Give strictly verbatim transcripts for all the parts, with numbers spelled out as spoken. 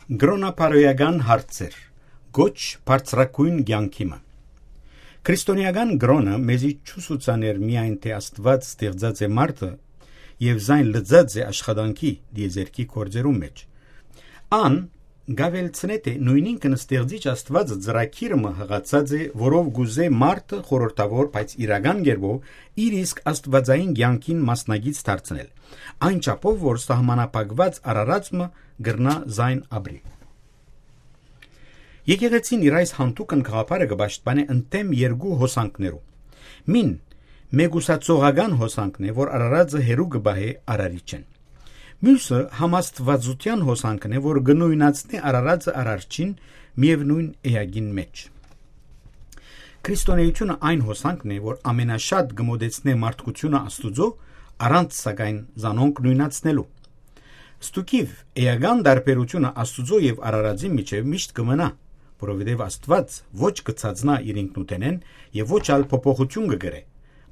Կրոնապարոյական հարցեր։ Կոչ բարձրագոյն կեանքի մը։ Քրիստոնեական կրոնը մեզի չուսուցաներ միայն, թէ Աստուած ստեղծած է մարդը եւ զայն լծած է աշխատանքի դիեզերքի գործերուն մէջ։ Ան գավելցնե, թէ նոյնինքն ստեղծիչ Աստուածը ծրագիր մը յղացած է, որով գուզե մարդը խորհրդավոր, բայց իրական կերպով իր իսկ աստուածային կեանքին մասնակից դարձնել, այն չափով, որ սահմանափակված արարած մը կրնա զայն ապրի։ Եկեղեցին իր այս յանթուկն գաղափարը կը պաշտպանէ ընդդէմ երկու հոսանքներու։ Մին մեկուսացողական հոսանքն է, որ արարածը հեռու կը պահէ արարիչէն։ Միւսը համաստվածության հոսանքն է, որ կը նոյնացնէ արարածը արարչին միեւնոյն էակին մէջ։ Քրիստոնեությունը այն հոսանքն է, որ ամենաշատ կը մոտեցնէ մարդկությունը Աստուծոյ, առանց սակայն զանոնք նոյնացնելու։ Ստուգիւ, էական տարբերությունը Աստուծոյ եւ արարածին միջեւ միշտ կը մնայ, որովհետեւ Աստուած ոչ կը ցածնայ իր ինքնութենէն եւ ոչ ալ փոփոխութիւն կը կրէ,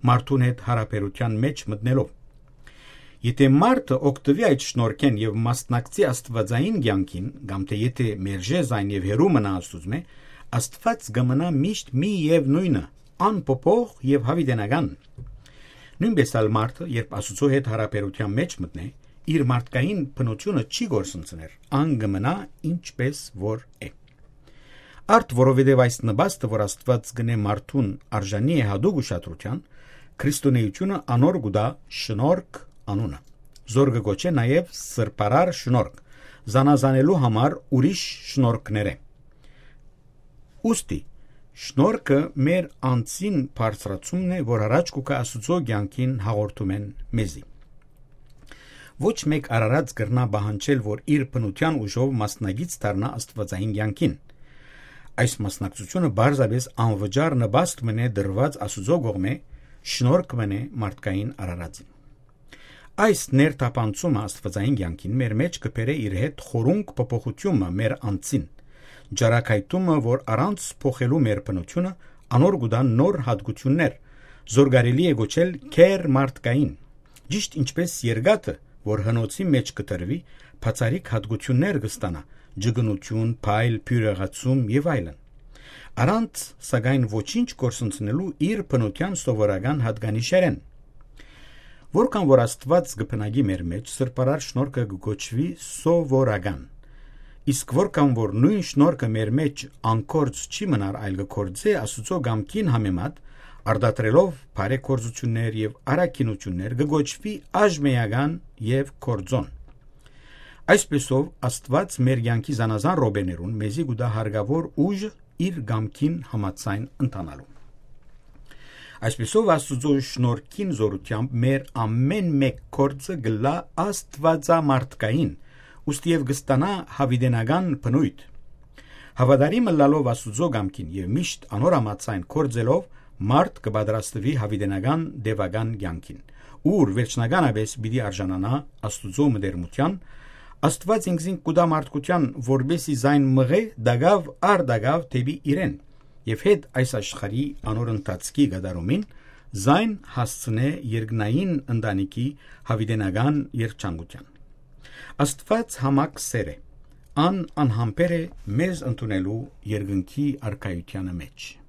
մարդուն հետ յարաբերութեան մէջ մտնելով։ Եթէ մարդը օգտուի այդ շնորհքէն եւ մասնակցի աստուածային կեանքին, կամ թէ եթէ մերժէ զայն եւ հեռու մնայ Աստուծմէ, Աստուած կը մնայ միշտ միեւնոյնը, անփոփոխ եւ յաւիտենական։ Նոյնպէս ալ մարդը, երբ Աստուծոյ հետ յարաբերութեան մէջ մտնէ, իր մարդկային բնութիւնը չի կորսնցներ, ան կը մնայ ինչպէս որ է։ Արդ որովհետեւ այս նպաստը, որ Աստուած կ'ընէ մարդուն, արժանի է յատուկ ուշադրութեան, քրիստոնէությունը անոր կու տայ շնորհք անունը, զոր կը կոչէ նաեւ սրբարար շնորհք, զանազանելու համար ուրիշ շնորհքներէ։ Ուստի, շնորհքը մեր անձին բարձրացումն է, որ առաջ կու գայ Աստուծոյ կեանքին հաղորդումէն մեզի։ Ոչ մէկ արարած կրնայ պահանջել, որ իր բնութեան ուժով մասնակից դառնայ աստուածային կեանքին։ Այս մասնակցությունը պարզապէս անվճար նպաստ մըն է տրուած Աստուծոյ կողմէ, շնորհք մըն է մարդկային արարածին։ Այս ներթափանցումը աստուածային կեանքին մեր մէջ կը բերէ իր հետ խորունկ փոփոխութիւնը մեր անձին, ճառագայթումը, որ առանց փոխելու մեր բնութիւնը, անոր կու տայ նոր յատկութիւններ, զոր կարելի է կոչել գերմարդկային, ճիշտ ինչպէս երկաթը, որ հնոցի մէջ կը տրուի, բացառիկ յատկութիւններ կը ստանայ, ճկունութիւն, փայլ, բիւրեղացում եւ այլն, առանց, սակայն, ոչինչ կորսնցնելու իր բնութեան սովորական յատկանիշերէն։ Որքան որ Աստուած կը բնակի մեր մէջ, սրբարար շնորհքը կը կոչուի սովորական։ Իսկ որքան որ նոյն շնորհքը մեր մէջ անկորձ չի մնար, այլ կը կորձէ Աստուծոյ կամքին համեմատ, արտադրելով բարեգործութիւններ եւ առաքինութիւններ, կը կոչուի աժմեական եւ կորձոն։ Այսպէսով, Աստուած մեր կեանքի զանազան րոպեներուն մեզի կու տայ հարկաւոր ուժը իր կամքին համաձայն ընթանալու։ Այսպէսով, Աստուծոյ շնորհքին զօրութեամբ մեր ամէն մէկ գործը կ'ըլլայ աստուածամարդկային, ուստի եւ կը ստանայ յաւիտենական բնոյթ։ Հաւատարիմ ըլլալով Աստուծոյ կամքին եւ միշտ անոր համաձայն գործելով, մարդ կը պատրաստուի յաւիտենական տեւական կեանքին, ուր վերջնականապէս պիտի արժանանայ Աստուծոյ մտերմութեան, Աստուած ինքզինք կու տայ մարդկութեան, որպէս զի զայն մղէ տակաւ առ տակաւ դէպի իրեն, եւ հետ այս աշխարհի անոր ընթացքի կատարումին զայն հասցնէ երկնային ընտանիքի յաւիտենական երջանկութեան։ Աստուած յամակ սէր է, ան անհամբեր է մեզ ընդունելու երկնքի արքայութեանը մէջ։